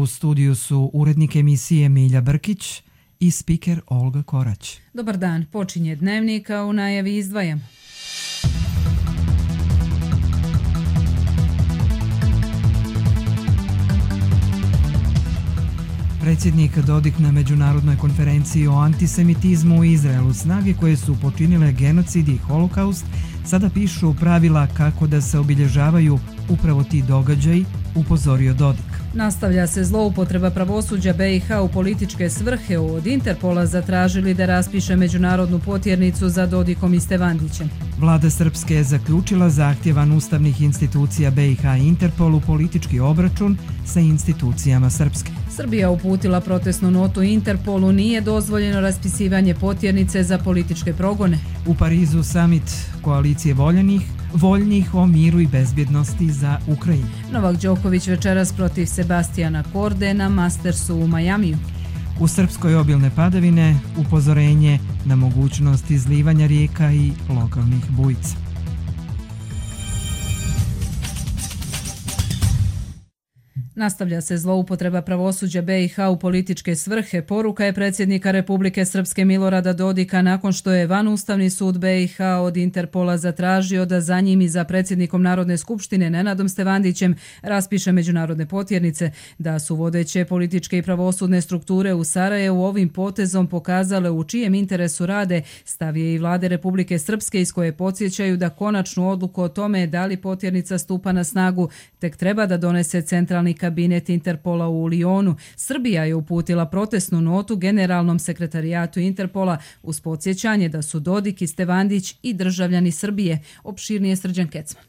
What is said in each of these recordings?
U studiju su urednik emisije Milja Brkić i spiker Olga Korać. Dobar dan, počinje Dnevnik, a u najavi izdvajam. Predsjednik Dodik na međunarodnoj konferenciji o antisemitizmu u Izraelu. Snage koje su počinile genocid i holokaust sada pišu pravila kako da se obilježavaju upravo ti događaji, upozorio Dodik. Nastavlja se zloupotreba pravosuđa BiH u političke svrhe. Od Interpola zatražili da raspiše međunarodnu potjernicu za Dodikom i Stevandićem. Vlada Srpske je zaključila zahtjevan ustavnih institucija BiH i Interpolu politički obračun sa institucijama Srpske. Srbija uputila protestnu notu Interpolu, nije dozvoljeno raspisivanje potjernice za političke progone. U Parizu summit koalicije voljnih o miru i bezbjednosti za Ukrajinu. Novak Đoković večeras protiv Sebastijana Korde na Mastersu u Majamiju. U Srpskoj obilne padavine, upozorenje na mogućnost izlivanja rijeka i lokalnih bujica. Nastavlja se zloupotreba pravosuđa BiH u političke svrhe. Poruka je predsjednika Republike Srpske Milorada Dodika nakon što je vanustavni sud BiH od Interpola zatražio da za njim i za predsjednikom Narodne skupštine Nenadom Stevandićem raspiše međunarodne potjernice, da su vodeće političke i pravosudne strukture u Sarajevu ovim potezom pokazale u čijem interesu rade, stav je i vlade Republike Srpske iz koje podsjećaju da konačnu odluku o tome da li potjernica stupa na snagu tek treba da donese centralni kabinet Interpola u Lionu. Srbija je uputila protestnu notu generalnom sekretarijatu Interpola uz podsjećanje da su Dodik i Stevandić i državljani Srbije. Opširnije Srđan Kecman.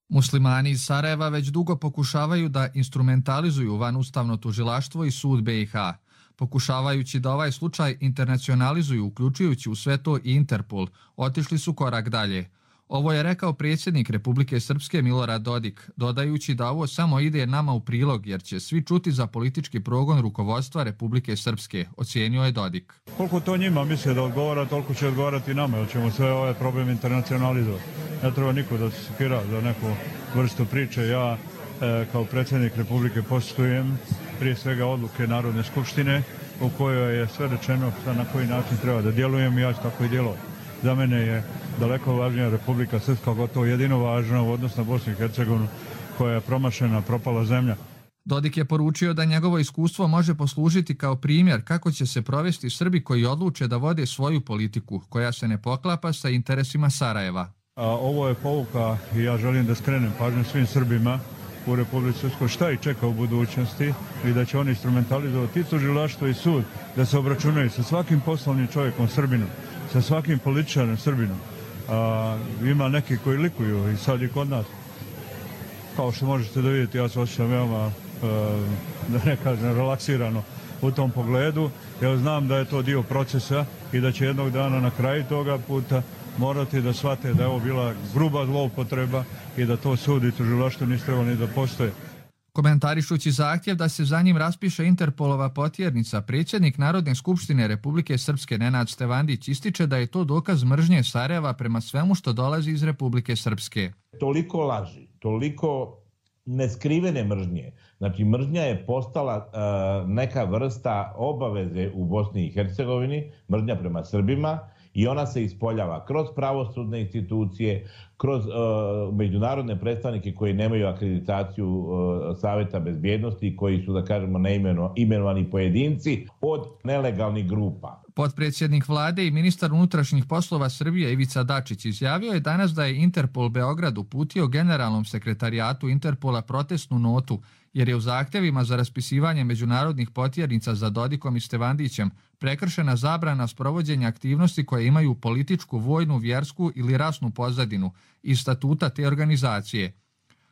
Muslimani iz Sarajeva već dugo pokušavaju da instrumentalizuju vanustavno tužilaštvo i sud BiH, pokušavajući da ovaj slučaj internacionalizuju, uključujući u sve to i Interpol. Otišli su korak dalje. Ovo je rekao predsjednik Republike Srpske Milorad Dodik, dodajući da ovo samo ide nama u prilog jer će svi čuti za politički progon rukovodstva Republike Srpske, ocijenio je Dodik. Koliko to njima misle da odgovara, toliko će odgovarati nama, jer ćemo sve ove probleme internacionalizovati. Ne treba niko da se sekira za neku vrstu priče. Ja kao predsjednik Republike poštujem prije svega odluke Narodne skupštine u kojoj je sve rečeno na koji način treba da djelujem i ja ću tako i djelovati. Za mene je daleko važnija Republika Srpska, gotovo jedino važna u odnosu na Bosnu i Hercegovinu koja je promašena, propala zemlja. Dodik je poručio da njegovo iskustvo može poslužiti kao primjer kako će se provesti Srbi koji odluče da vode svoju politiku, koja se ne poklapa sa interesima Sarajeva. Ovo je pouka i ja želim da skrenem pažnju svim Srbima u Republici Srpskoj šta ih čeka u budućnosti i da će oni instrumentalizovati i tužilaštvo i sud da se obračunaju sa svakim poslovnim čovjekom Srbinom, sa svakim političarem Srbinom. Ima neki koji likuju i sad i kod nas. Kao što možete da vidite, ja se osjećam veoma, da ne kažem, relaksirano u tom pogledu. Ja znam da je to dio procesa i da će jednog dana na kraju toga puta morati da shvate da je ovo bila gruba zloupotreba i da to sud i tužilaštvo nisu trebali da postoje. Komentarišući zahtjev da se za njim raspiše Interpolova potjernica, predsjednik Narodne skupštine Republike Srpske Nenad Stevandić ističe da je to dokaz mržnje Sarajeva prema svemu što dolazi iz Republike Srpske. Toliko laži, toliko neskrivene mržnje. Znači, mržnja je postala neka vrsta obaveze u Bosni i Hercegovini, mržnja prema Srbima, i ona se ispoljava kroz pravosudne institucije, kroz međunarodne predstavnike koji nemaju akreditaciju Saveta bezbjednosti, koji su, da kažemo, imenovani pojedinci od nelegalnih grupa. Potpredsjednik vlade i ministar unutrašnjih poslova Srbije Ivica Dačić izjavio je danas da je Interpol Beograd uputio generalnom sekretarijatu Interpola protestnu notu, jer je u zahtjevima za raspisivanje međunarodnih potjernica za Dodikom i Stevandićem prekršena zabrana sprovođenja aktivnosti koje imaju političku, vojnu, vjersku ili rasnu pozadinu iz statuta te organizacije.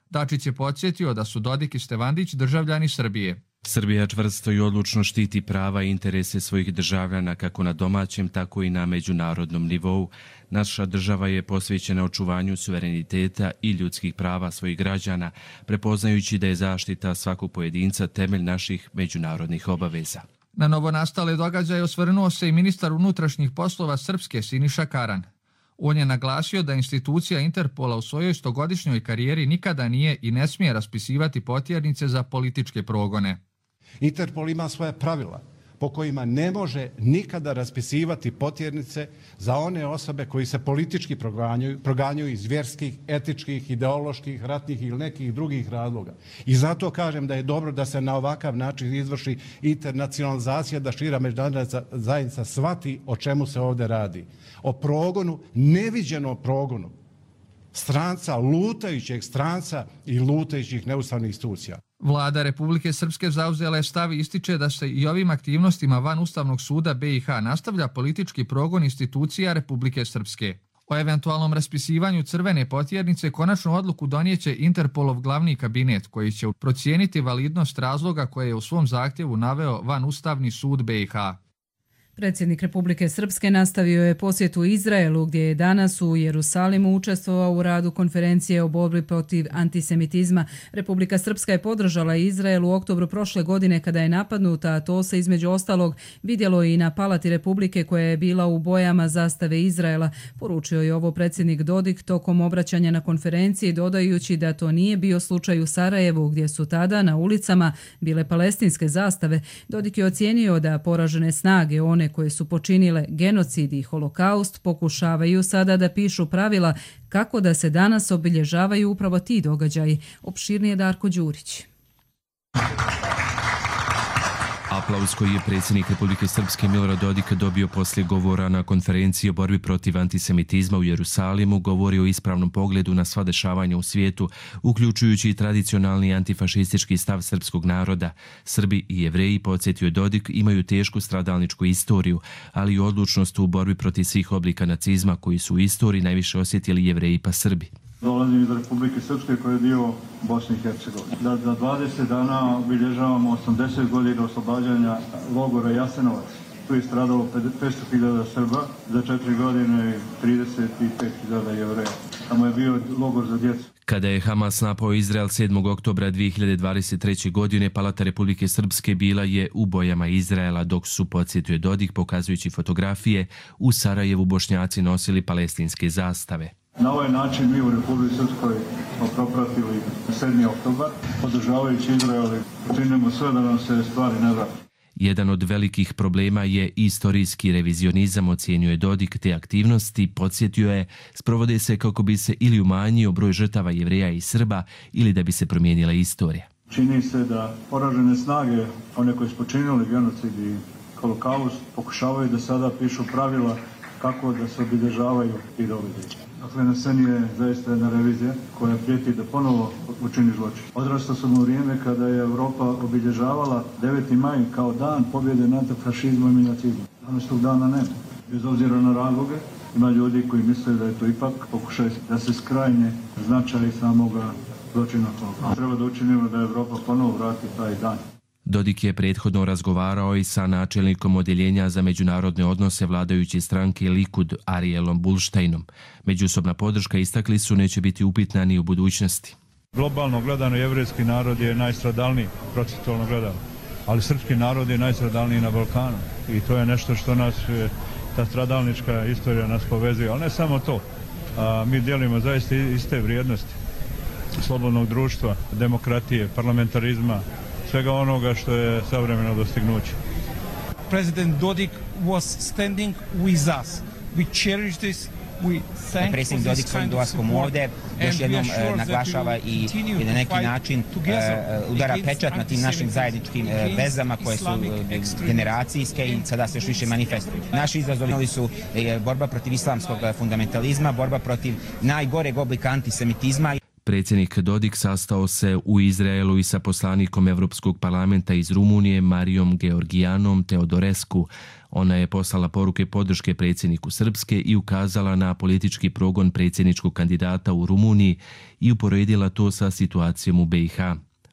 Dačić je podsjetio da su Dodik i Stevandić državljani Srbije. Srbija čvrsto i odlučno štiti prava i interese svojih državljana kako na domaćem, tako i na međunarodnom nivou. Naša država je posvećena očuvanju suvereniteta i ljudskih prava svojih građana, prepoznajući da je zaštita svakog pojedinca temelj naših međunarodnih obaveza. Na novonastale događaje osvrnuo se i ministar unutrašnjih poslova Srpske Siniša Karan. On je naglasio da institucija Interpola u svojoj 100-godišnjoj karijeri nikada nije i ne smije raspisivati potjernice za političke progone. Interpol ima svoja pravila po kojima ne može nikada raspisivati potjernice za one osobe koji se politički proganjaju iz vjerskih, etičkih, ideoloških, ratnih ili nekih drugih razloga. I zato kažem da je dobro da se na ovakav način izvrši internacionalizacija, da šira međunarodna zajednica shvati o čemu se ovdje radi. O progonu, neviđenom progonu stranca, lutajućeg stranca i lutajućih neustavnih institucija. Vlada Republike Srpske zauzela je stav i ističe da se i ovim aktivnostima van Ustavnog suda BiH nastavlja politički progon institucija Republike Srpske. O eventualnom raspisivanju crvene potjernice konačnu odluku donijeće Interpolov glavni kabinet, koji će procijeniti validnost razloga koje je u svom zahtjevu naveo van Ustavni sud BiH. Predsjednik Republike Srpske nastavio je posjetu Izraelu, gdje je danas u Jerusalimu učestvovao u radu konferencije o borbi protiv antisemitizma. Republika Srpska je podržala Izrael u oktobru prošle godine kada je napadnuta, a to se između ostalog vidjelo i na Palati Republike koja je bila u bojama zastave Izraela. Poručio je ovo predsjednik Dodik tokom obraćanja na konferenciji, dodajući da to nije bio slučaj u Sarajevu, gdje su tada na ulicama bile palestinske zastave. Dodik je ocijenio da poražene snage, one koje su počinile genocid i holokaust, pokušavaju sada da pišu pravila kako da se danas obilježavaju upravo ti događaji. Opširnije Darko Đurić. Aplauz koji je predsjednik Republike Srpske Milorad Dodik dobio poslije govora na konferenciji o borbi protiv antisemitizma u Jerusalimu govori o ispravnom pogledu na sva dešavanja u svijetu, uključujući i tradicionalni antifašistički stav srpskog naroda. Srbi i Jevreji, podsjetio je Dodik, imaju tešku stradalničku istoriju, ali i odlučnost u borbi protiv svih oblika nacizma koji su u istoriji najviše osjetili Jevreji pa Srbi. Dolazim iz Republike Srpske koja je dio Bosne i Hercegovine. Da za 20 dana obilježavamo 80 godina oslobađanja logora Jasenovac. Tu je stradalo 500.000 Srba, za 4 godine 35.000 Jevreja. Tamo je bio logor za djecu. Kada je Hamas napao Izrael 7. oktobra 2023. godine, Palata Republike Srpske bila je u bojama Izraela, dok su, podsjetio Dodik, pokazujući fotografije, u Sarajevu Bošnjaci nosili palestinske zastave. Na ovaj način mi u Republike Srpskoj smo propratili 7. oktobar, podržavajući Izrael i činimo sve da nam se stvari ne vrati. Jedan od velikih problema je istorijski revizionizam, ocijenio Dodik, te aktivnosti, podsjetio je, sprovode se kako bi se ili umanjio broj žrtava Jevreja i Srba ili da bi se promijenila istorija. Čini se da poražene snage, one koje su počinili genocid i holokaust, pokušavaju da sada pišu pravila kako da se obilježavaju i događaji. Dakle, na sceni je zaista jedna revizija koja prijeti da ponovo učini zločin. Odrastao sam u vrijeme kada je Europa obilježavala 9. maj kao dan pobjede nad fašizmom i nacizmom. Danas tog dana nema. Bez obzira na razloge, ima ljudi koji misle da je to ipak pokušaj da se skrajnje značaj samoga zločina. Treba da učinimo da Europa ponovo vrati taj dan. Dodik je prethodno razgovarao i sa načelnikom odjeljenja za međunarodne odnose vladajuće stranke Likud Arielom Bulštejnom. Međusobna podrška, istakli su, neće biti upitna ni u budućnosti. Globalno gledano, jevrejski narod je najstradalniji, procentualno gledano, ali srpski narod je najstradalniji na Balkanu i to je nešto što nas, ta stradalnička istorija nas povezuje, ali ne samo to. Mi dijelimo zaista iste vrijednosti slobodnog društva, demokratije, parlamentarizma, svega onoga što je savremeno dostignuće. President Dodik was standing with us. We cherish this. Predsjednik Dodik svojim dolaskom ovdje još jednom naglašava i na neki način udara pečat na tim našim zajedničkim vezama koje su generacijske i sada se još više manifestuju. Naši izazovi su borba protiv islamskog fundamentalizma, borba protiv najgoreg oblika antisemitizma. Predsjednik Dodik sastao se u Izraelu i sa poslanikom Evropskog parlamenta iz Rumunije Marijom Georgijanom Teodorescu. Ona je poslala poruke podrške predsjedniku Srpske i ukazala na politički progon predsjedničkog kandidata u Rumuniji i uporedila to sa situacijom u BiH.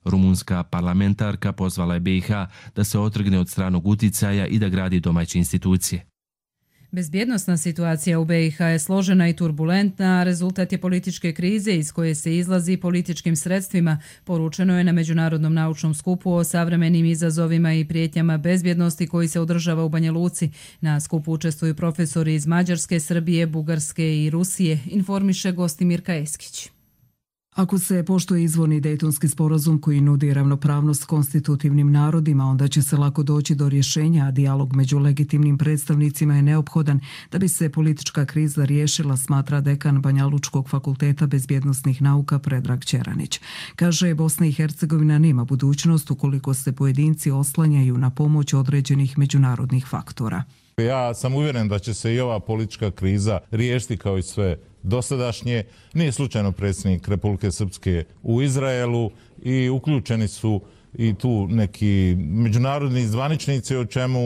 Rumunska parlamentarka pozvala je BiH da se otrgne od stranog uticaja i da gradi domaće institucije. Bezbjednosna situacija u BiH je složena i turbulentna, a rezultat je političke krize iz koje se izlazi političkim sredstvima, poručeno je na Međunarodnom naučnom skupu o savremenim izazovima i prijetnjama bezbjednosti koji se održava u Banja Luci. Na skupu učestvuju profesori iz Mađarske, Srbije, Bugarske i Rusije, informiše Gostimirka Eskić. Ako se poštuje izvorni Dejtonski sporazum koji nudi ravnopravnost konstitutivnim narodima, onda će se lako doći do rješenja, a dijalog među legitimnim predstavnicima je neophodan da bi se politička kriza riješila, smatra dekan Banjalučkog fakulteta bezbjednosnih nauka Predrag Ćeranić. Kaže, Bosna i Hercegovina nema budućnost ukoliko se pojedinci oslanjaju na pomoć određenih međunarodnih faktora. Ja sam uvjeren da će se i ova politička kriza riješiti kao i sve dosadašnje. Nije slučajno predsjednik Republike Srpske u Izraelu i uključeni su i tu neki međunarodni zvaničnici o čemu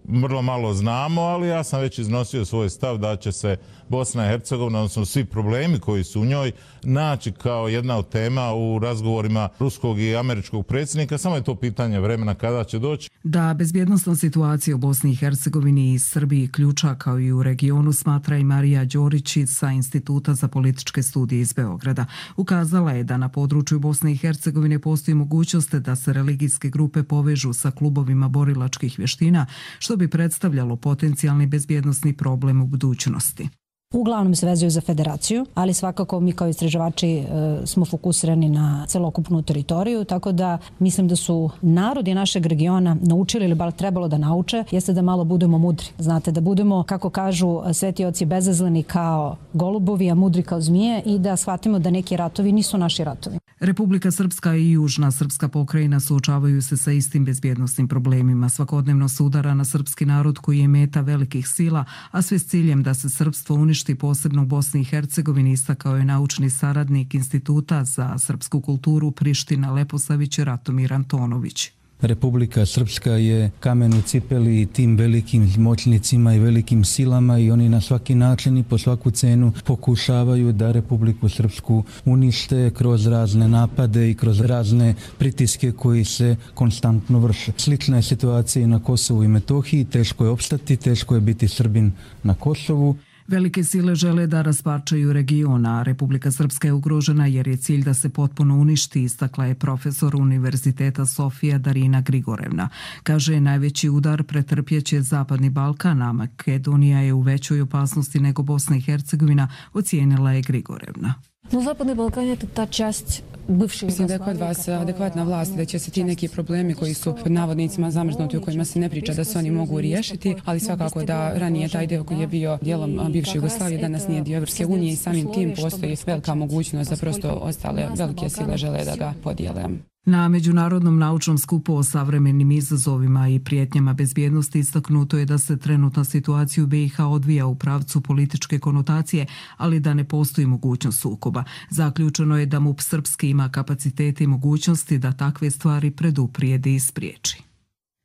vrlo malo znamo, ali ja sam već iznosio svoj stav da će se Bosna i Hercegovina, odnosno svi problemi koji su u njoj, naći kao jedna od tema u razgovorima ruskog i američkog predsjednika. Samo je to pitanje vremena kada će doći. Da bezbjednosna situacija u Bosni i Hercegovini i Srbiji ključa kao i u regionu, smatra i Marija Đorić sa Instituta za političke studije iz Beograda. Ukazala je da na području Bosne i Hercegovine postoji mogućnost da se religijske grupe povežu sa klubovima borilačkih vještina, što bi predstavljalo potencijalni bezbjednosni problem u budućnosti. Uglavnom se vezuju za federaciju, ali svakako mi kao istraživači smo fokusirani na celokupnu teritoriju, tako da mislim da su narodi našeg regiona naučili ili bar trebalo da nauče, jeste da malo budemo mudri. Znate, da budemo, kako kažu sveti oci, bezazleni kao golubovi, a mudri kao zmije i da shvatimo da neki ratovi nisu naši ratovi. Republika Srpska i Južna srpska pokrajina suočavaju se sa istim bezbjednosnim problemima. Svakodnevno se udara na srpski narod koji je meta velikih sila, a sve s ciljem da se srpstvo uništi, posebno u Bosni i Hercegovini, istakao je naučni saradnik Instituta za srpsku kulturu Priština Leposavić Ratomir Antonović. Republika Srpska je kamen u cipeli tim velikim moćnicima i velikim silama i oni na svaki način i po svaku cenu pokušavaju da Republiku Srpsku unište kroz razne napade i kroz razne pritiske koji se konstantno vrše. Slična je situacija i na Kosovu i Metohiji, teško je opstati, teško je biti Srbin na Kosovu. Velike sile žele da rasparčaju region, a Republika Srpska je ugrožena jer je cilj da se potpuno uništi, istakla je profesor Univerziteta Sofija Darina Grigorevna. Kaže, najveći udar pretrpjeće Zapadni Balkan, a Makedonija je u većoj opasnosti nego Bosna i Hercegovina, ocijenila je Grigorevna. No, Zapadni Balkan je ta čast bivše. Mislim da je kod vas adekvatna vlast, da će se ti neki problemi koji su pod navodnicima zamrznuti, o kojima se ne priča da se oni mogu riješiti, ali svakako da ranije taj deo koji je bio dijelom bivše Jugoslavije danas nije dio Evropske unije i samim tim postoji velika mogućnost da prosto ostale velike sile žele da ga podijele. Na Međunarodnom naučnom skupu o savremenim izazovima i prijetnjama bezbjednosti istaknuto je da se trenutna situacija u BiH odvija u pravcu političke konotacije, ali da ne postoji mogućnost sukoba. Zaključeno je da MUP srpski ima kapacitete i mogućnosti da takve stvari preduprijedi i spriječi.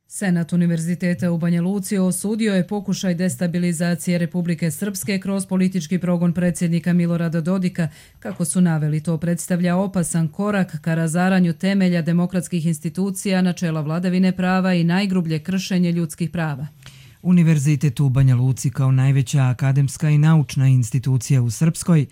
Senat Univerziteta u Banja Luci osudio je pokušaj destabilizacije Republike Srpske kroz politički progon predsjednika Milorada Dodika. Kako su naveli, to predstavlja opasan korak ka razaranju temelja demokratskih institucija, načela vladavine prava i najgrublje kršenje ljudskih prava. Univerzitet u Banja Luci kao najveća akademska i naučna institucija u Srpskoj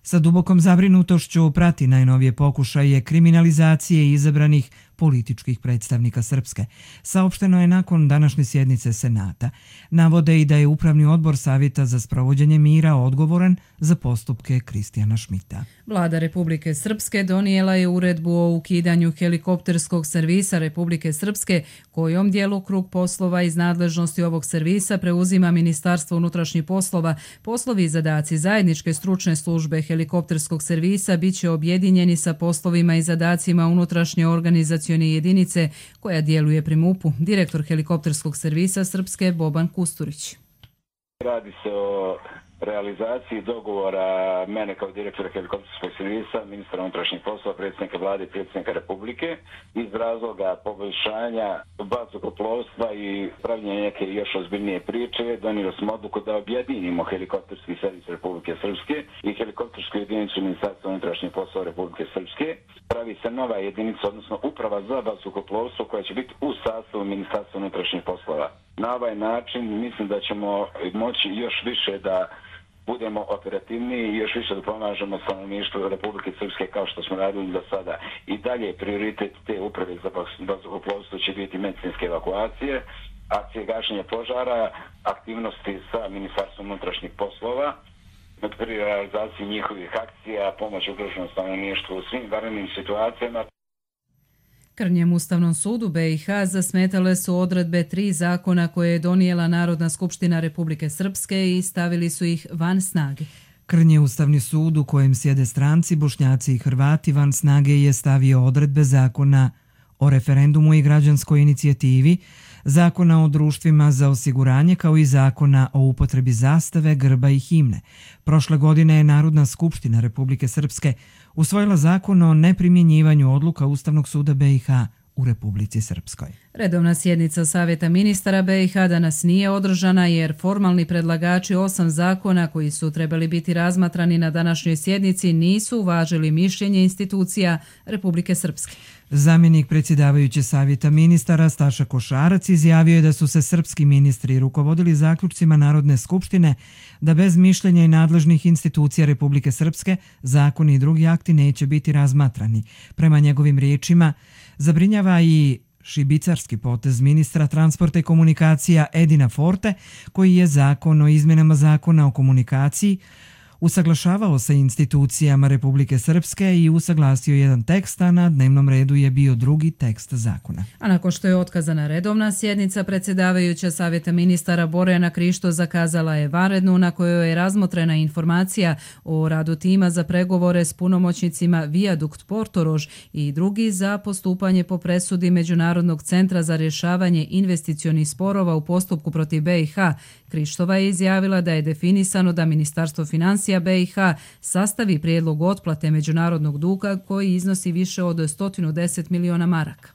sa dubokom zabrinutošću prati najnovije pokušaje kriminalizacije izabranih političkih predstavnika Srpske. Saopšteno je nakon današnje sjednice Senata. Navode i da je Upravni odbor Savjeta za sprovođenje mira odgovoran za postupke Kristijana Šmita. Vlada Republike Srpske donijela je uredbu o ukidanju helikopterskog servisa Republike Srpske, kojom djelokrug poslova iz nadležnosti ovog servisa preuzima Ministarstvo unutrašnjih poslova. Poslovi i zadaci zajedničke stručne službe helikopterskog servisa bit će objedinjeni sa poslovima i zadacima unutrašnje organizacije jedinice koja djeluje pri MUP-u. Direktor helikopterskog servisa Srpske Boban Kusturić. Radi se o realizaciji dogovora mene kao direktora helikopterskog servisa, ministra unutrašnjih poslova, predsjednika vlade i predsjednika Republike iz razloga poboljšanja vazduhoplovstva i pravljenja neke još ozbiljnije priče. Donijeli smo odluku da objedinimo helikopterski servis Republike Srpske i helikoptersku jedinicu Ministarstva unutrašnjih poslova Republike Srpske. Pravi se nova jedinica, odnosno uprava za vazduhoplovstvo koja će biti u sastavu Ministarstva unutrašnjih poslova. Na ovaj način mislim da ćemo moći još više da budemo operativniji i još više da pomažemo stanovništvu Republike Srpske kao što smo radili do sada. I dalje prioritet te uprave za vazduhoplovstvo će biti medicinske evakuacije, akcije gašenja požara, aktivnosti sa Ministarstvom unutrašnjih poslova, pri realizaciji njihovih akcija, pomoć ugroženom stanovništvu u svim vanrednim situacijama. Krnjem Ustavnom sudu BiH zasmetale su odredbe 3 zakona koje je donijela Narodna skupština Republike Srpske i stavili su ih van snage. Krnje Ustavni sud u kojem sjede stranci, Bošnjaci i Hrvati van snage je stavio odredbe zakona o referendumu i građanskoj inicijativi, zakona o društvima za osiguranje kao i zakona o upotrebi zastave, grba i himne. Prošle godine je Narodna skupština Republike Srpske usvojila zakon o neprimjenjivanju odluka Ustavnog suda BiH u Republici Srpskoj. Redovna sjednica Savjeta ministara BiH danas nije održana jer formalni predlagači 8 zakona koji su trebali biti razmatrani na današnjoj sjednici nisu uvažili mišljenje institucija Republike Srpske. Zamjenik predsjedavajuće Savjeta ministara Staša Košarac izjavio je da su se srpski ministri rukovodili zaključcima Narodne skupštine da bez mišljenja i nadležnih institucija Republike Srpske zakoni i drugi akti neće biti razmatrani. Prema njegovim riječima, zabrinjava i šibicarski potez ministra transporta i komunikacija Edina Forte, koji je zakon o izmjenama zakona o komunikaciji usaglašavao sa institucijama Republike Srpske i usaglasio jedan tekst, a na dnevnom redu je bio drugi tekst zakona. A nakon što je otkazana redovna sjednica, predsjedavajuća Savjeta ministara Borjana Krišto zakazala je vanrednu na kojoj je razmotrena informacija o radu tima za pregovore s punomoćnicima Viadukt Portorož i drugi za postupanje po presudi Međunarodnog centra za rješavanje investicionih sporova u postupku protiv BiH. Krištova je izjavila da je definisano da Ministarstvo financija BiH sastavi prijedlog otplate međunarodnog duga koji iznosi više od 110 miliona maraka.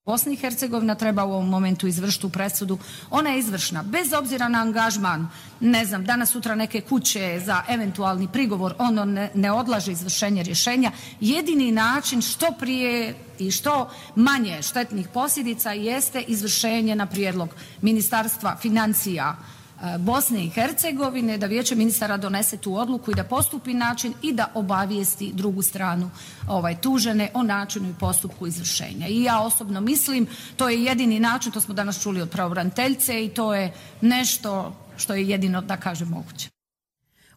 Bosna i Hercegovina treba u ovom momentu izvršiti tu presudu. Ona je izvršna, bez obzira na angažman, ne znam, danas sutra neke kuće za eventualni prigovor, ono ne odlaže izvršenje rješenja. Jedini način što prije i što manje štetnih posljedica jeste izvršenje na prijedlog Ministarstva financija Bosne i Hercegovine, da Vijeće ministara donese tu odluku i da postupi način i da obavijesti drugu stranu tužene o načinu i postupku izvršenja. I ja osobno mislim, to je jedini način, to smo danas čuli od pravobraniteljice i to je nešto što je jedino, da kažem, moguće.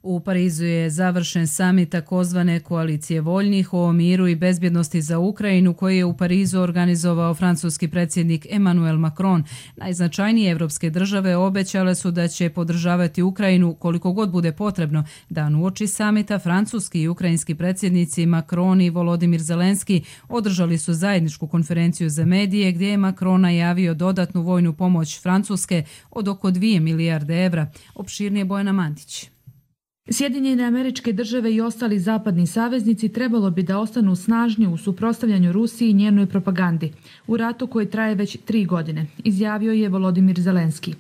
U Parizu je završen samit takozvane koalicije voljnih o miru i bezbjednosti za Ukrajinu koji je u Parizu organizovao francuski predsjednik Emmanuel Macron. Najznačajnije evropske države obećale su da će podržavati Ukrajinu koliko god bude potrebno. Dan uoči samita francuski i ukrajinski predsjednici Macron i Volodimir Zelenski održali su zajedničku konferenciju za medije gdje je Macron najavio dodatnu vojnu pomoć Francuske od oko 2 milijarde evra. Opširnije Bojana Mandić. Sjedinjene Američke Države i ostali zapadni saveznici trebalo bi da ostanu snažni u suprotstavljanju Rusiji i njenoj propagandi u ratu koji traje već 3 godine, izjavio je Volodimir Zelenski.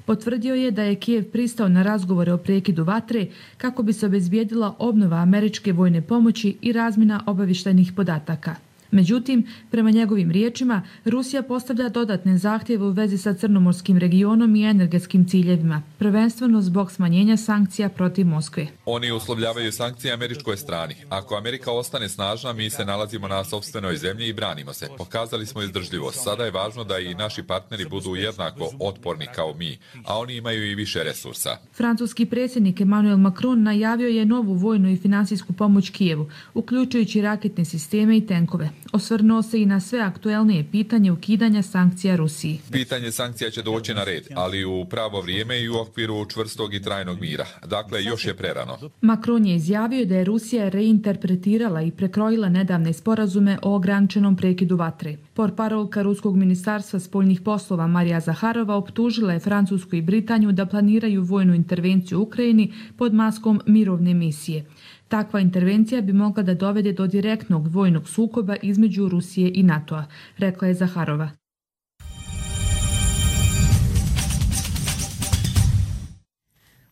Potvrdio je da je Kijev pristao na razgovore o prekidu vatre kako bi se obezbijedila obnova američke vojne pomoći i razmjena obavještajnih podataka. Međutim, prema njegovim riječima, Rusija postavlja dodatne zahtjeve u vezi sa crnomorskim regionom i energetskim ciljevima, prvenstveno zbog smanjenja sankcija protiv Moskve. Oni uslovljavaju sankcije američkoj strani. Ako Amerika ostane snažna, mi se nalazimo na sopstvenoj zemlji i branimo se. Pokazali smo izdržljivost. Sada je važno da i naši partneri budu jednako otporni kao mi, a oni imaju i više resursa. Francuski predsjednik Emmanuel Macron najavio je novu vojnu i finansijsku pomoć Kijevu, uključujući raketne sisteme i tenkove. Osvrnuo se i na sve aktuelnije pitanje ukidanja sankcija Rusiji. Pitanje sankcija će doći na red, ali u pravo vrijeme i u okviru čvrstog i trajnog mira. Dakle, još je prerano. Macron je izjavio da je Rusija reinterpretirala i prekrojila nedavne sporazume o ograničenom prekidu vatre. Portparolka Ruskog ministarstva spoljnih poslova Marija Zaharova optužila je Francusku i Britaniju da planiraju vojnu intervenciju u Ukrajini pod maskom mirovne misije. Takva intervencija bi mogla da dovede do direktnog vojnog sukoba između Rusije i NATO-a, rekla je Zaharova.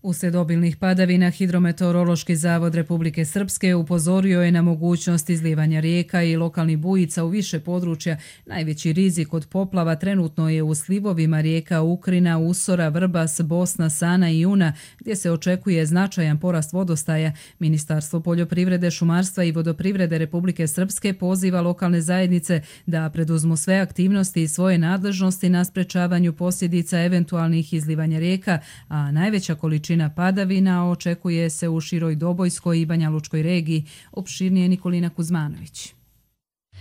Uslijed obilnih padavina, Hidrometeorološki zavod Republike Srpske upozorio je na mogućnost izlijevanja rijeka i lokalnih bujica u više područja. Najveći rizik od poplava trenutno je u slivovima rijeka Ukrina, Usora, Vrbas, Bosna, Sana i Una, gdje se očekuje značajan porast vodostaja. Ministarstvo poljoprivrede, šumarstva i vodoprivrede Republike Srpske poziva lokalne zajednice da preduzmu sve aktivnosti i svoje nadležnosti na sprečavanju posljedica eventualnih izlivanja rijeka, a najveća količina količina padavina očekuje se u široj Dobojskoj i Banja Lučkoj regiji. Opširnije Nikolina Kuzmanović.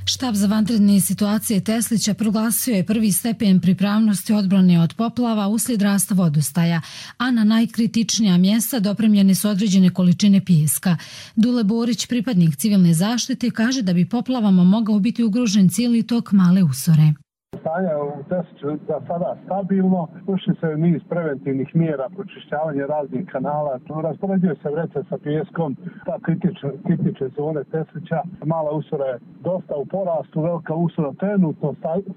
Štab za vanredne situacije Teslića proglasio je prvi stepen pripravnosti odbrane od poplava uslijed rasta vodostaja, a na najkritičnija mjesta dopremljene su određene količine pijeska. Dule Borić, pripadnik civilne zaštite, kaže da bi poplavama mogao biti ugrožen cijeli tok Male Usore. Stanje u Tesliću za sada stabilno, ušli se niz preventivnih mjera, pročišćavanje raznih kanala, raspoređuje se vreće sa pijeskom, ta kritične zone Teslića. Mala Usora je dosta u porastu, Velika Usora trenutno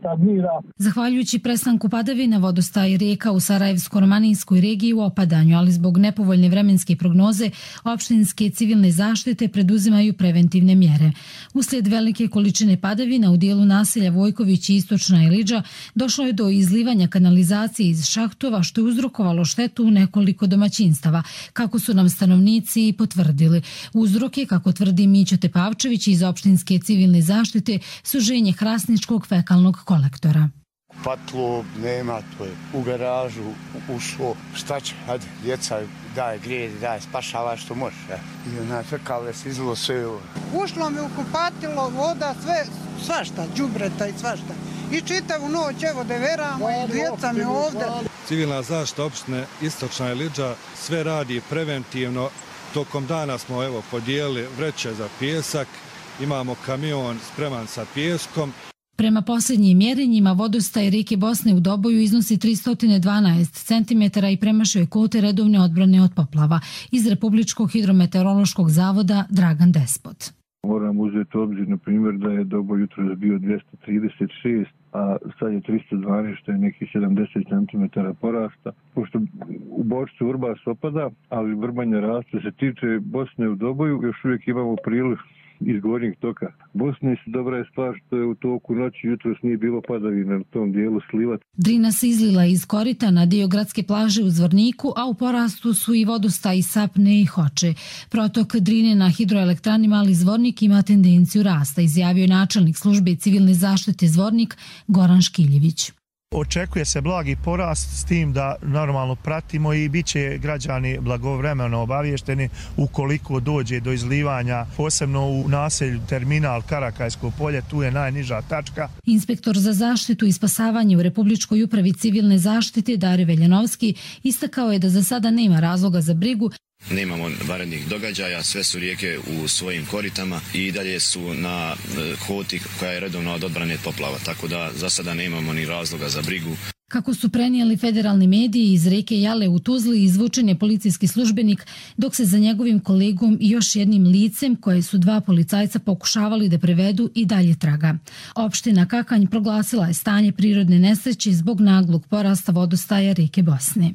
stagnira. Zahvaljujući prestanku padavina, vodostaj rijeka u Sarajevsko-romanijskoj regiji u opadanju, ali zbog nepovoljne vremenske prognoze opštinske civilne zaštite preduzimaju preventivne mjere. Uslijed velike količine padavina u dijelu naselja Vojković i Istočna Ilidža došlo je do izlivanja kanalizacije iz šahtova, što je uzrokovalo štetu u nekoliko domaćinstava, kako su nam stanovnici potvrdili. Uzrok je, kako tvrdi Mićo Tepavčević iz opštinske civilne zaštite, suženje hrasničkog fekalnog kolektora. Patlo nema, to je u garažu ušlo, šta će, hajde, djeca daje grijedi, daje, spašava što može. I onaj fekale se izlo sve ovo. Ušlo mi u kupatilo, voda, sve, svašta, đubreta i svašta. I čitavu noć, evo, deveramo i djeca mi ovdje. Civilna zaštita opštine Istočna Ilidža sve radi preventivno. Tokom dana smo podijelili vreće za pijesak, imamo kamion spreman sa pijeskom. Prema posljednjim mjerenjima, vodostaj rijeke Bosne u Doboju iznosi 312 cm i premašuje kvote redovne odbrane od poplava. Iz Republičkog hidrometeorološkog zavoda Dragan Despot. Moram uzeti u obzir, na primjer, da je Doboj jutros bio 236, a sad je 312, što je nekih 70 cm porasta. Pošto u Bočicu Vrbas opada, ali vrbanje raste. Se tiče Bosne u Doboju, još uvijek imamo priliv iz gornjeg toka Bosne. Dobra je stvar što je u toku noći jutros nije bilo padavina na tom dijelu sliva. Drina se izlila iz korita na dio gradske plaže u Zvorniku, a u porastu su i vodostaj Sapne i Hoče. Protok Drine na hidroelektrani Mali Zvornik ima tendenciju rasta, izjavio je načelnik službe civilne zaštite Zvornik Goran Škiljević. Očekuje se blagi porast, s tim da normalno pratimo i bit će građani blagovremeno obavješteni ukoliko dođe do izlivanja, posebno u naselju terminal Karakajsko polje, tu je najniža tačka. Inspektor za zaštitu i spasavanje u Republičkoj upravi civilne zaštite Dario Veljanovski istakao je da za sada nema razloga za brigu. Nemamo vanrednih događaja, sve su rijeke u svojim koritama i dalje su na kvoti koja je redovno od odbrane od poplava, tako da za sada nemamo ni razloga za brigu. Kako su prenijeli federalni mediji, iz rijeke Jale u Tuzli izvučen je policijski službenik, dok se za njegovim kolegom i još jednim licem, koje su dva policajca pokušavali da prevedu, i dalje traga. Opština Kakanj proglasila je stanje prirodne nesreće zbog naglog porasta vodostaja rijeke Bosne.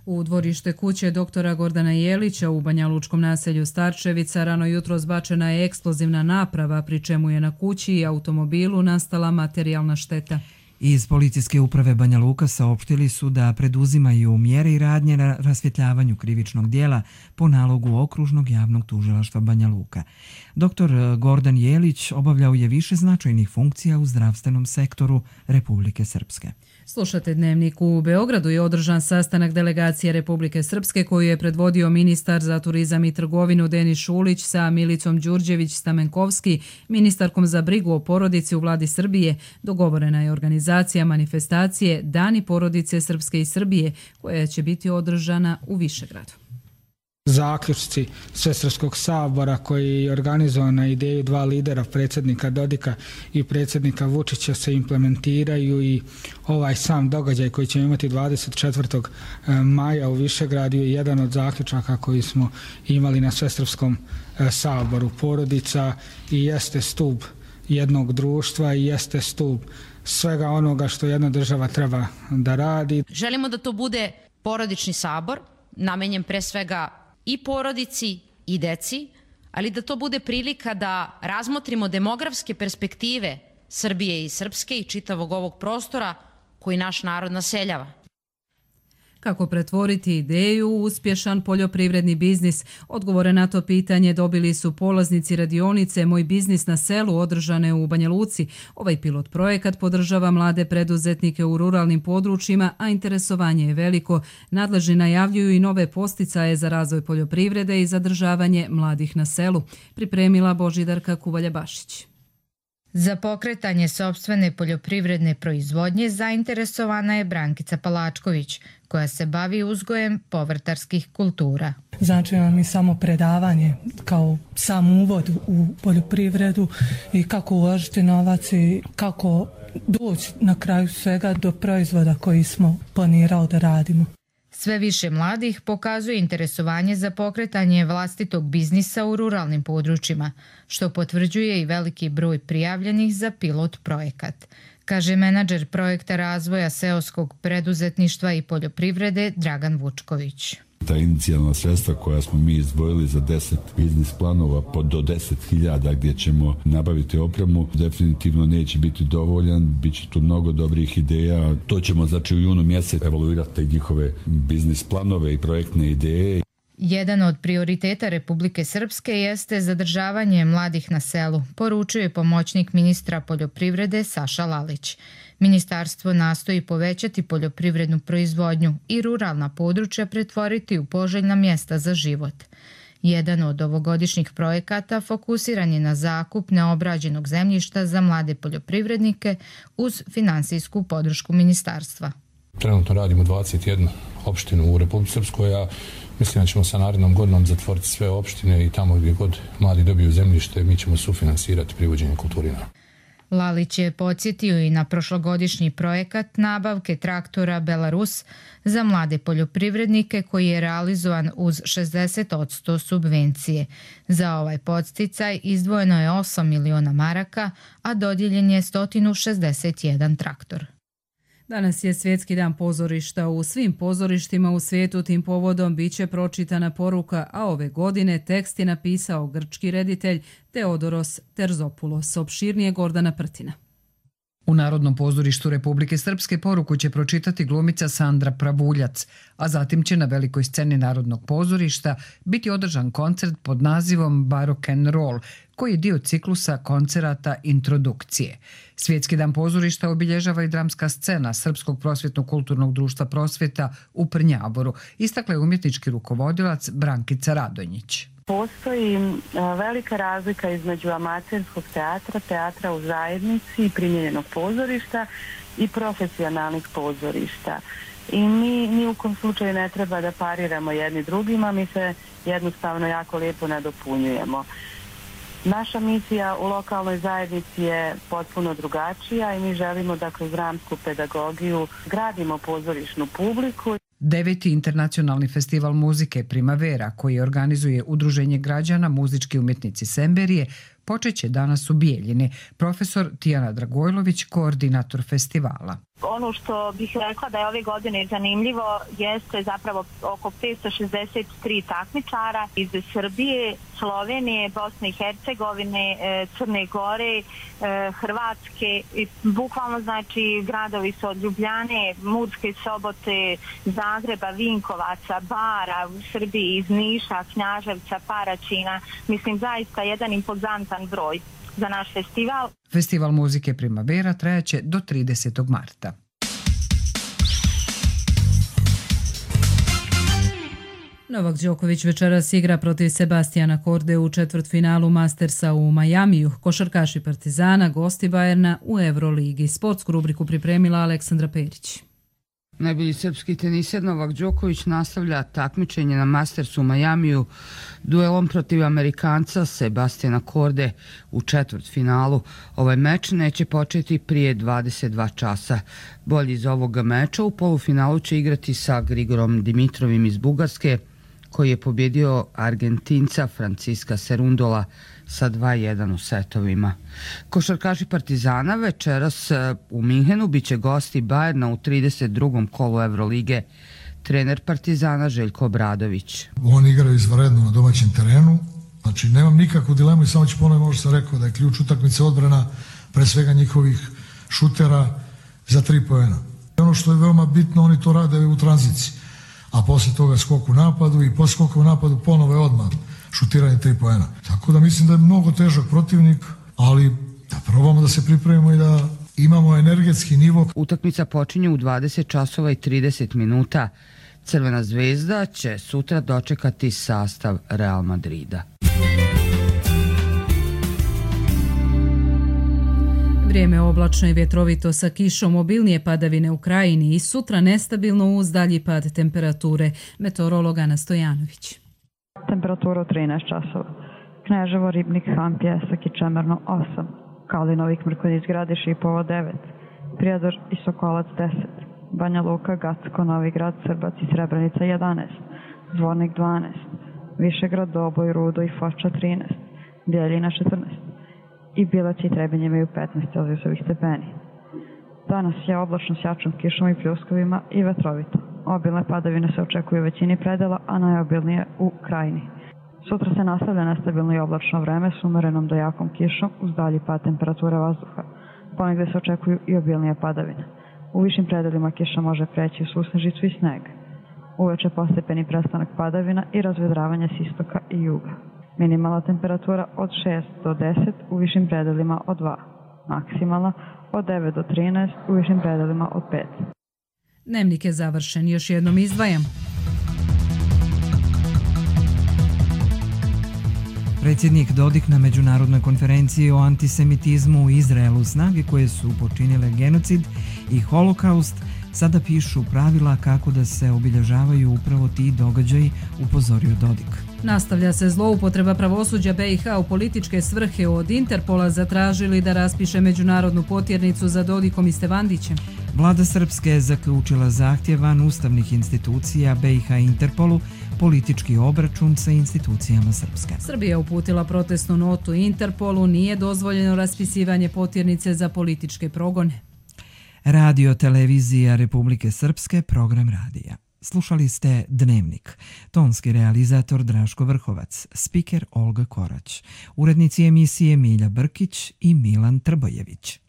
U dvorište kuće doktora Gordana Jelića u Banja Lučkom naselju Starčevica rano jutro zbačena je eksplozivna naprava, pri čemu je na kući i automobilu nastala materijalna šteta. Iz policijske uprave Banja Luka saopštili su da preduzimaju mjere i radnje na rasvjetljavanju krivičnog dijela po nalogu Okružnog javnog tužilaštva Banja Luka. Doktor Gordan Jelić obavljao je više značajnih funkcija u zdravstvenom sektoru Republike Srpske. Slušate Dnevnik. U Beogradu je održan sastanak delegacije Republike Srpske koju je predvodio ministar za turizam i trgovinu Denis Šulić sa Milicom Đurđević-Stamenkovski, ministarkom za brigu o porodici u vladi Srbije. Dogovorena je organizacija manifestacije Dani porodice Srpske i Srbije, koja će biti održana u Višegradu. Zaključci Svesrpskog sabora koji je organizovan na ideju dva lidera, predsjednika Dodika i predsjednika Vučića, se implementiraju i ovaj sam događaj koji ćemo imati 24. maja u Višegradu je jedan od zaključaka koji smo imali na Svesrpskom saboru. Porodica i jeste stup jednog društva i jeste stup svega onoga što jedna država treba da radi. Želimo da to bude porodični sabor, namenjen pre svega i porodici i deci, ali da to bude prilika da razmotrimo demografske perspektive Srbije i Srpske i čitavog ovog prostora koji naš narod naseljava. Kako pretvoriti ideju u uspješan poljoprivredni biznis? Odgovore na to pitanje dobili su polaznici radionice Moj biznis na selu održane u Banja Luci. Ovaj pilot projekat podržava mlade preduzetnike u ruralnim područjima, a interesovanje je veliko. Nadležni najavljuju i nove posticaje za razvoj poljoprivrede i zadržavanje mladih na selu. Pripremila Božidarka Kuvalja-Bašić. Za pokretanje sopstvene poljoprivredne proizvodnje zainteresovana je Brankica Palačković, koja se bavi uzgojem povrtarskih kultura. Znači nam i samo predavanje kao sam uvod u poljoprivredu i kako uložiti novac i kako doći na kraju svega do proizvoda koji smo planirali da radimo. Sve više mladih pokazuje interesovanje za pokretanje vlastitog biznisa u ruralnim područjima, što potvrđuje i veliki broj prijavljenih za pilot projekat, kaže menadžer projekta razvoja seoskog preduzetništva i poljoprivrede Dragan Vučković. Ta inicijalna sredstva koja smo mi izdvojili za 10 biznis planova do 10.000 gdje ćemo nabaviti opremu, definitivno neće biti dovoljan, bit će tu mnogo dobrih ideja. To ćemo znači u junu mjesecu evaluirati njihove biznis planove i projektne ideje. Jedan od prioriteta Republike Srpske jeste zadržavanje mladih na selu, poručuje pomoćnik ministra poljoprivrede Saša Lalić. Ministarstvo nastoji povećati poljoprivrednu proizvodnju i ruralna područja pretvoriti u poželjna mjesta za život. Jedan od ovogodišnjih projekata fokusiran je na zakup neobrađenog zemljišta za mlade poljoprivrednike uz finansijsku podršku ministarstva. Trenutno radimo 21 opštinu u Republici Srpskoj, a mislim da ćemo sa narednom godinom zatvoriti sve opštine i tamo gdje god mladi dobiju zemljište mi ćemo sufinansirati privođenje kulturina. Lalić je podsjetio i na prošlogodišnji projekat nabavke traktora Belarus za mlade poljoprivrednike koji je realizovan uz 60% subvencije. Za ovaj podsticaj izdvojeno je 8 miliona maraka, a dodijeljen je 161 traktor. Danas je Svjetski dan pozorišta. U svim pozorištima u svijetu tim povodom biće pročitana poruka, a ove godine tekst je napisao grčki reditelj Teodoros Terzopoulos. Opširnije Gordana Prtina. U Narodnom pozorištu Republike Srpske poruku će pročitati glumica Sandra Pravuljac, a zatim će na velikoj sceni Narodnog pozorišta biti održan koncert pod nazivom Barok and Roll, koji je dio ciklusa koncerata Introdukcije. Svjetski dan pozorišta obilježava i dramska scena Srpskog prosvjetno-kulturnog društva Prosvjeta u Prnjavoru, istakla je umjetnički rukovodilac Brankica Radonjić. Postoji velika razlika između amaterskog teatra, teatra u zajednici, primjenjenog pozorišta i profesionalnih pozorišta. I mi ni u kom slučaju ne treba da pariramo jedni drugima, mi se jednostavno jako lijepo nadopunjujemo. Naša misija u lokalnoj zajednici je potpuno drugačija i mi želimo da kroz dramsku pedagogiju gradimo pozorišnu publiku. 9. internacionalni festival muzike Primavera, koji organizuje Udruženje građana Muzički umjetnici Semberije, počeće danas u Bijeljini. Profesor Tijana Dragojlović, koordinator festivala. Ono što bih rekla da je ove godine zanimljivo jeste zapravo oko 563 takmičara iz Srbije, Slovenije, Bosne i Hercegovine, Crne Gore, Hrvatske. Bukvalno znači gradovi su od Ljubljane, Murske Sobote, Zagreba, Vinkovaca, Bara u Srbiji, iz Niša, Knjaževca, Paraćina. Mislim zaista jedan impozantan broj za naš festival. Festival muzike Primavera trajaće do 30. marta. Novak Đoković večeras igra protiv Sebastijana Korde u četvrtfinalu Mastersa u Majamiju. Košarkaši Partizana, gosti Bajerna u Euroligi. Sportsku rubriku pripremila Aleksandra Perić. Najbolji srpski teniser Novak Đoković nastavlja takmičenje na Mastersu u Majamiju duelom protiv Amerikanca Sebastijana Korde u četvrtfinalu. Ovaj meč neće početi prije 22 časa. Bolji iz ovoga meča u polufinalu će igrati sa Grigorom Dimitrovim iz Bugarske, koji je pobjedio Argentinca Franciska Serundola sa 2-1 u setovima. Košarkaši Partizana večeras u Minhenu biće gosti Bajerna u 32. kolu Evrolige. Trener Partizana Željko Obradović. Oni igraju izvanredno na domaćem terenu, znači nemam nikakvu dilemu i samo ću ponoviti, možda sam rekao da je ključ utakmice odbrana, pre svega njihovih šutera za 3 poena. Ono što je veoma bitno, oni to rade u tranziciji. a poslije toga skok u napadu i poslije skoka u napadu ponovo je odmah šutiranje 3 poena. Tako da mislim da je mnogo težak protivnik, ali da probamo da se pripremimo i da imamo energetski nivo. Utakmica počinje u 20 časova i 30 minuta. Crvena zvezda će sutra dočekati sastav Real Madrida. Vrijeme oblačno i vjetrovito sa kišom, obilnije padavine u krajini i sutra nestabilno uz dalji pad temperature. Meteorolog Ana Stojanović. Temperatura u 13 časova. Kneževo, Ribnik, Han, Pjesak i Čemerno 8. Kalinovik, Mrkonjić, Gradiš i Povo 9. Prijedor i Sokolac 10. Banja Luka, Gacko, Novi Grad, Srbac i Srebrenica 11. Zvornik 12. Višegrad, Doboj, Rudo i Foča 13. Bijeljina 14. I Bilać i Trebinje imaju 15 celzijusovih stepeni. Danas je oblačno s jačom kišom i pljuskovima i vetrovito. Obilne padavine se očekuju u većini predela, a najobilnije u krajini. Sutra se nastavlja nestabilno i oblačno vreme s umerenom do jakom kišom uz dalji pad temperature vazduha. Ponegde se očekuju i obilnije padavine. U višim predelima kiša može preći u susnežicu i sneg. Uveče postepeni prestanak padavina i razvedravanje s istoka i juga. Minimalna temperatura od 6 do 10, u višim predelima od 2. Maksimalna od 9 do 13, u višim predelima od 5. Dnevnik je završen. Još jednom izdvajam. Predsjednik Dodik na međunarodnoj konferenciji o antisemitizmu u Izraelu, snage koje su počinile genocid i holokaust sada pišu pravila kako da se obilježavaju upravo ti događaji, upozorio Dodik. Nastavlja se zloupotreba pravosuđa BiH u političke svrhe. Od Interpola zatražili da raspiše međunarodnu potjernicu za Dodikom i Stevandićem. Vlada Srpske je zaključila zahtjev van ustavnih institucija BiH i Interpolu, politički obračun sa institucijama Srpske. Srbija uputila protestnu notu Interpolu, nije dozvoljeno raspisivanje potjernice za političke progone. Radio televizija Republike Srpske, program radija. Slušali ste Dnevnik. Tonski realizator Draško Vrhovac, spiker Olga Korać, urednici emisije Milja Brkić i Milan Trbojević.